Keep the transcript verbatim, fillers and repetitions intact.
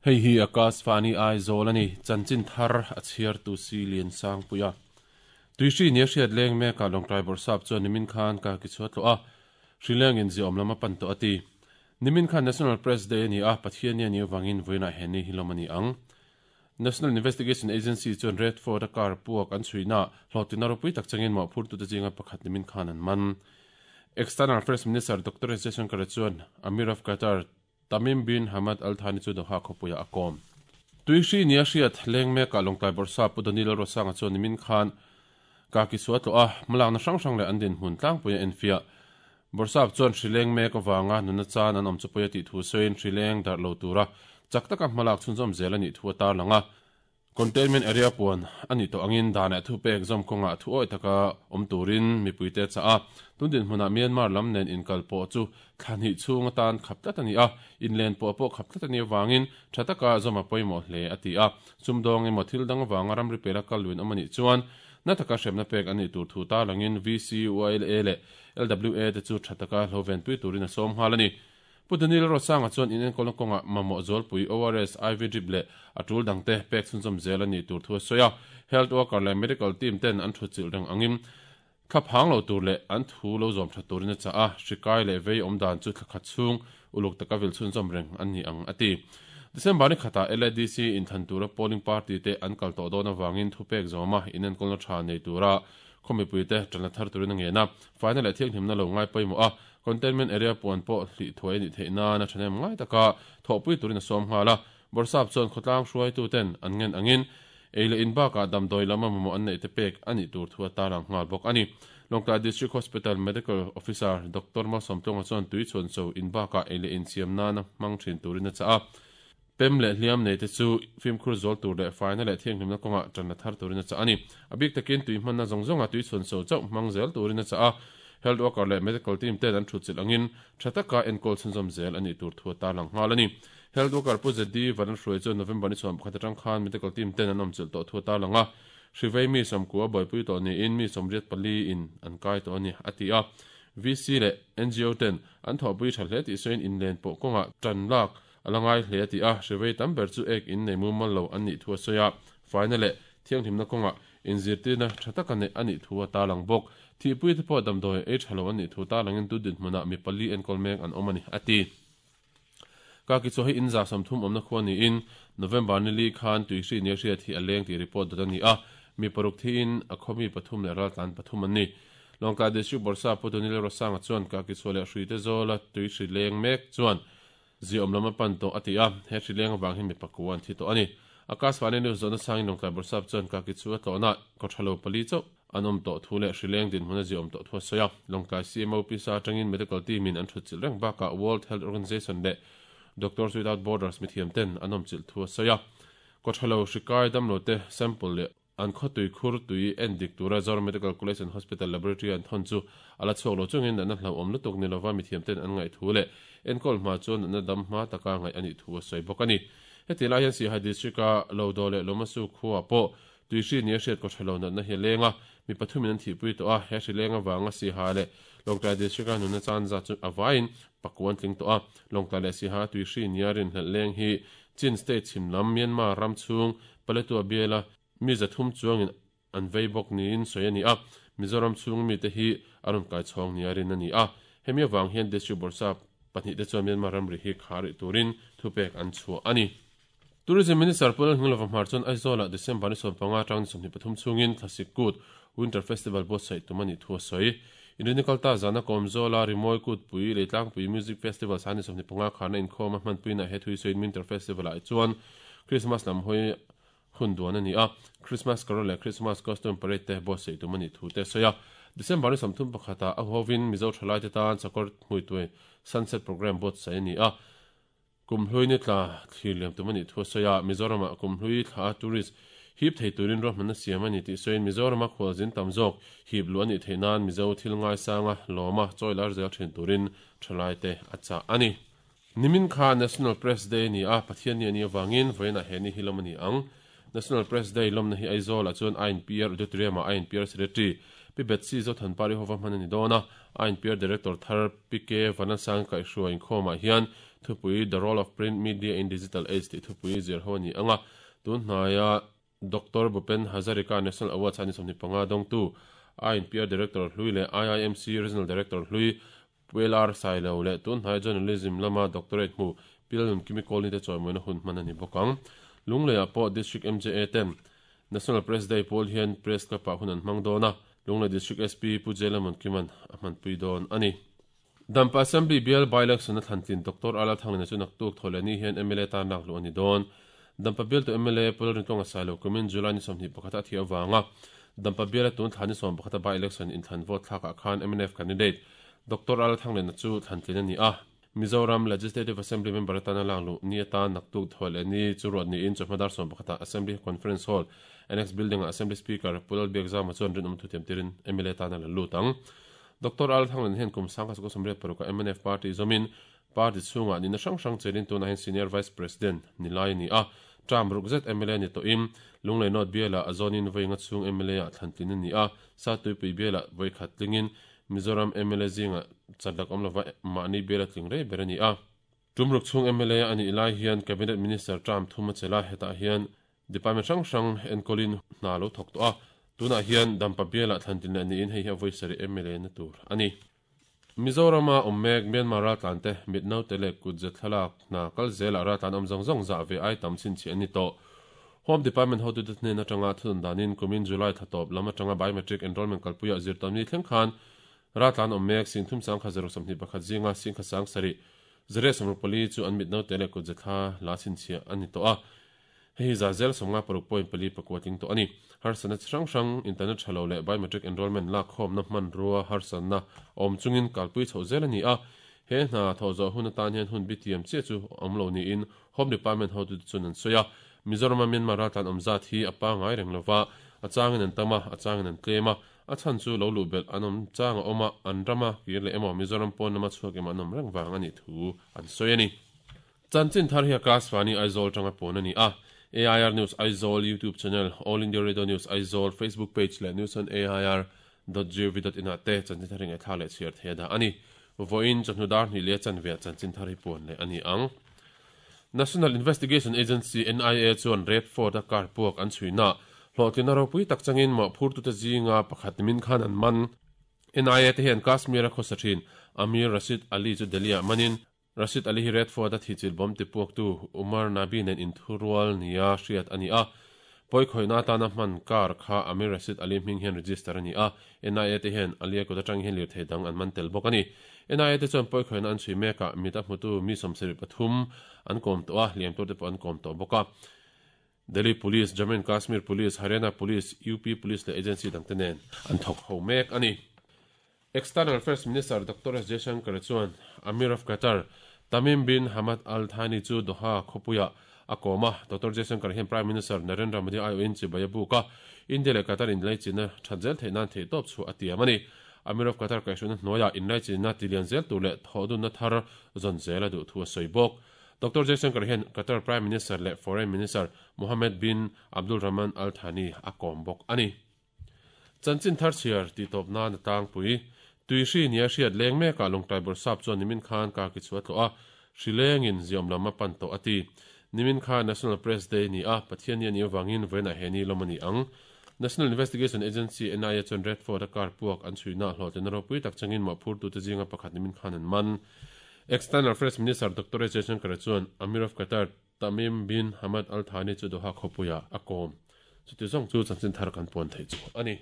Hei hi Akashvani Aizawl ani chanchin thar a chhiar tu si lian sang puia tuihri ni hriat leng meka Lawngtlai Bawrhsap chuan nimin khan ka ki chhuat lo a hrileng in ziawm lama pan to ati nimin khan National Press Day ani a Pathian ni ani wangin voina heni hilomani ang National Investigation Agency chuan Red Fort a car puak an chhuina hlotina ropui tak changin ma phur tu te zinga pakhat nimin khan an man External Affairs Minister Doctor Jaishankar chuan Amir of Qatar Tamim bin Hamad Al Thani chu Doha khopuia akom tuihri ni a hriat leng meka Lawngtlai Bawrhsap Pu Danilo Rosanga chuan nimin khan ka ki suat lo a malak na hrang hrang le an din hmun tlangpuia enfia Bawrhsap chuan hrileng mek awanga nuna chan an awm chu puia tih thu sawiin hrileng dar lo tura chak taka hmalak chhunzawm zel ani thu tar langa containment area puan ani to angin dana thu pek zom konga thu oi taka om turin mipuite cha a tundin hmuna Myanmar lam nen inkal po chu thlani chunga tan khaptlat ani a inlen po po khaptlat ani wangin thataka zoma poimo hle ati a sumdong emaw thil dang wanga ramri pela kalwin amani chuan na taka hremna pek ani tur thu ta langin V C U L A le L W A te chu thataka hloven pui turin a som halani Pu Danilo Rosanga chuan in enkawl kawnga mamawh zawlpui O R S I V drip leh a tul dangte pek chhunzawm zel ani tur thu a sawi a health worker leh medical team ten an thu chilh reng angin thlaphang lo tur leh an thu lo zawm tha turin a cha a hrikai leh vei awm dan chu thlakhat chhung uluk taka vil chhunzawm reng an ni ang ati December ni khata L A D C in than tura polling party te an kal tawh dawn awangin thu pek zawma in enkawlna tha nei tura khawmipui te tana thar turin a ngena final leh thianghlimna lo ngai pawimawh a containment area puan pawh hli thuai ni theihna na thanem ngai taka thawhpui turin a sawm nghala Bawrhsap chuan khawtlang hruaitu ten an ngen angin eile in bakah damdawi lama mamawh an neih te pek ani tur thu a tarang nghal bawk ani Lawngtlai District Hospital Medical Officer Doctor Malsawmtlonga chuan tui chhuan cho in bakah eile in siam nana hmang thin turin a cha a pem leh hliam nei te chu fimkhur zawl tur leh faina leh thianghlimna kawnga tanna thar turin a cha ani a bik takin tui hmanna zawng zawnga tui chhuan cho chauh hmang zel turin a cha a health worker leh medical team ten an thu chilh angin thataka enkawl chhunzawm zel ani tur thu a tarlang nghal ani health worker Pu Z D Varan hruai chu November ni chhuan pakhat atang khan medical team ten an awm chilh tawh thu a tarlang a hrivei mi sawmkua buaipui tawh niin mi sawmriat pali in an kai tawh ani a ti a V C leh N G O ten an thawhpui tha hle tih sawiin inlen pawh kawnga tan lak alangai hle ti a hrivei tam ber chu ek in nei mumal lo an nih thu a sawi a faina leh thianghlimna kawnga inzirtirna tha taka nei ani thu a tarlang bawk thihpui te pawh damdawi ei tha lo an nih thu tarlangin tu din hmunah mi pali enkawl mek an awm ani ati ka ki chaw hi in za sawmthum awmna khua niin November ni li khan tuihri ni hriat hi a leng tih report dawt ani a mi paruk thiin a khawmi pathum leh ral tlan pathum an ni Lawngtlai District Bawrhsap Pu Danilo Rosanga chuan ka ki chaw leh hrui te zawla tuihri leng mek chuan ziawm lama pan tawh ati a he hri leng awang hi mi pakua an thi tawh ani Akashvani News zawhna sangin Lawngtlai Bawrhsap chuan ka ki chu a tlawhna kawthalo pali chauh an awm tawh thu leh hri leng din hmuna ziawm tawh thu a sawi a Lawngtlai C M O P sa atangin medical team in an thu chilh reng bakah World Health Organization leh Doctors Without Borders mithiam ten an awm chilh thu a sawi a kawthalo hrikai damlo te sample leh an khawtui khur tui en dik tura Zoram Medical College and Hospital Laboratory an thawn chu ala chhuak lo chungin natna hlo awm lutuk ni lova mithiam ten an ngaih thu leh enkawl hma chuan natna dam hma taka ngaih ani thu a sawi bawk ani heti lai hian Sihai District a Lodo leh Lomasu khuwa pawh tuihri ni a hriat kawthalo natna hi lenga mi pathumin an thihpui tawh a he hri lenga wanga Sihai leh Lawngtlai District a nuna chan za chu awain pakuan tling tawh a Lawngtlai leh Sihai tuihri ni a rin hlelh leng hi Chin State chhimlam Myanmar ram chhung Paletwa biala mi zathum chuangin an vei bawk niin sawi ani a Mizoram chhung mi te hi a rawn kai chhawng ni a rin ani a hemi awang hian District Bawrhsap pahnih te chuan Myanmar ramri hi khari turin thupek an chhuah ani Tourism Minister Pu Lalngilova Hmar chuan Aizawl ah December ni sawm panga tang ni sawmhnih pathum chhungin Thlasik Kut Winter Festival buatsaih tum ani thu a sawi Inrinikal ta zana kawm zawla Rimawi Kutpui Leitlangpui Music Festival san ni sawmhnih panga kharna inkhawm a hmanpuina he thui sawiin Winter Festival ah chuan Christmas lam hawi hun duan ani a Christmas carol leh Christmas costume parade te buatsaih tum ani thu te sawi a December ni sawmthum pakhata a hovin Mizo thalai te tan chakawr hmuituai sunset program buatsaih ani a kumhlui ni tla thlir liam tum ani thu a sawi a Mizoram ah kumhlui thla tourist hip thei turin ruahmanna siam ani tih sawiin Mizoram a khualzin tam zawk hip lu ani theih nan Mizo thil ngai sanga lawma chawi lar zel thin turin thalai te a chah ani Nimin kha National Press Day ni a Pathian ni ani awangin voina he ni hilom ani ang National Press Day lomna hi Aizawl ah chuan I N P R Auditorium ah I N P R Secretary Pi Betsy Zothanpari hova hman ani dawn a, I N P R Director thar Pi K Vanasang kaihhruai inkhawmah hian thupui The Role of Print Media in Digital Age tih thupui zir ho a ni ang a, tun hnaia Doctor Bhupen Hazarika National Award chhani sawmhnih panga dawngtu I N P R Director hlui leh I I M C Regional Director hlui Pu L R Sailo leh tun hnai Journalism lama Doctorate hmu Pi Lalnunkimi Kawlni te chawimawina hun hman a ni bawk ang. Lungleiah pawh District M J A ten National Press Day pawl hian Press Club ah hun an hmang dawn a, Lunglei District S P Pu Jelamon Kiman a hmanpui dawn a ni. Dampa Assembly bial by-election a thlantlin Doctor Ala Thanglina chu naktuk thawhleh ni hian M L A tan lak luh a ni dawn. Dampa bialtu M L A Pu Lalrintlawng Sailo kumin July ni sawmhnih pakhat a thih avanga Dampa biala tun thla ni sawm pakhata by-election inthlan vote thlakah khan M N F candidate Doctor Ala Thanglina chu thlantlin a ni a. Mizoram Legislative Assembly member atana lak luh ni atan naktuk thawhleh ni chu ruat niin chawhma dar sawm pakhata Assembly Conference Hall Annex Building ah Assembly Speaker Pu Lalbiakzama chuan rinawm thutiam tirin M L A tana la lut ang. Doctor Al Thanglin hian kum sangkhat sakawt sawmriat paruk a M N F party zawmin party chhungah nihna hrang hrang chelin tunah hian Senior Vice President ni lai a ni a. Term ruk zet M L A ni tawhin Lunglei North bialah a zawnin vawi nga chhung M L A ah thlantlin a ni a. Satuipui bialah vawi khat tlingin Mizoram M L A zingah chatlak awm lova mahni biala tling rei ber a ni a. Tum ruk chhung M L A a nih lai hian Cabinet Minister term thum a chela, hetah hian department hrang hrang enkawlin hna lo thawk tawh a. Tunah hian Dampa bialah thlantlin leh niin hei hi a vawi sarih M L A na tur a ni. Mizorama awm mek Myanmar raltlan te mit naute leh kut ze thlalak hna kal zelah raltlan awm zawng zawng zah ve ai tam chhinchhiah an ni tawh. Home Department hotute hnen atanga thudun danin kumin July thla tawp lam atanga biometric enrollment kalpuiah zirtawmni thleng khan raltlan awm mek sing thum sang kha zaruk sawmhnih pakhat zinga sing kha sang sarih zariat sawmruk pali chu an mit naute leh kut ze thla la chhinchhiah an ni tawh a. Hei za zel sawmnga paruk point pali pakua tling tawh a ni. Harsatna chi hrang hrang, internet tha lo leh biometric enrollment lak khawmna hmanrua harsatna awm chungin kalpui chhoh zel a ni a. He hna thawh zawh hun atan hian hun bi tiam chiah chu awm lo niin Home Department hotute chuan an sawi a. Mizorama Myanmar raltlan awm zat hi a pangai reng lova, a changin an tam a, a changin an tlem a. A chhan chu lo luh belh an awm chang a awm a, an rama kir leh emaw Mizoram pawn lama chhuak emaw an awm reng vang a nih thu an sawi a ni. Chanchin thar hi Akashvani Aizawl tanga pawn a ni a. A I R News Aizawl YouTube channel, All India Radio News Aizawl Facebook page leh news on A I R dot gov dot in ah te chanchin thar hi ngaihthla leh chhiar thei a dah a ni. Vawiin chawhnu dar hnih leh chanve ah chanchin thar hi puan leh a ni ang. National Investigation Agency N I A chuan Red Fort a car puak an chhuina hlawhtlina ropui tak changin mawhphurtute zinga pakhat nimin khan an man. N I A te hian Kashmir a khawsa thin Amir Rashid Ali chu Delhi ah manin Rashid Ali hi Red Fort a thichil bomb tipuaktu Umar Nabi nen inthurual nia hriat a ni a. Pawi khawihna atana hman car kha Amir Rashid Ali hming hian register a ni a. N I A te hian Ali a kut atang hian lirthei dang an man tel bawk a ni. N I A te chuan pawi khawihna an chhui mekah mit a hmutu mi sawmsarih pathum an kawm tawh a, hliam tur te pawh an kawm tawh bawk a. Delhi Police, Jammu and Kashmir Police, Haryana Police, U P Police leh agency dangte nen an thawk ho mek a ni. External Affairs Minister Doctor S Jaishankar chuan Amir of Qatar Tamim bin Hamad Al Thani chu Doha khawpuiah a kawm a. Doctor Jaishankar hian Prime Minister Narendra Modi aiawhin chibai a buk a, India leh Qatar inlaichinna that zel theih nan theihtawp chu a tiam a ni. Amir of Qatar kaihhruaina hnuaiah inlaichinna tilian zel tur leh thawhdunna thar zawn zel a duh thu a sawi bawk. Doctor Jaishankar hian Qatar Prime Minister leh Foreign Minister Mohammed bin Abdul Rahman Al Thani a kawm bawk a ni. Chanchin thar chhiar tih tawp nan a tlangpui. Tuihri nia hriat leng mekah Lawngtlai Bawrhsap chuan nimin khan Kaki chu a tlawh a, hri lengin ziawm lam a pan tawh a ti. Nimin khan National Press Day ni a, Pathian ni a nih avangin vawiinah he ni lawm a ni ang. National Investigation Agency N I A chuan Red Fort a car puak an chhuina hlawhtlina ropui tak changin mawhphurtute zinga pakhat nimin khan an man. External Affairs Minister Doctor S Jaishankar chuan Amir of Qatar Tamim bin Hamad Al Thani chu Doha khawpuiah a kawm. Chuti zawng chu chanchin thar kan puan theih chu a ni.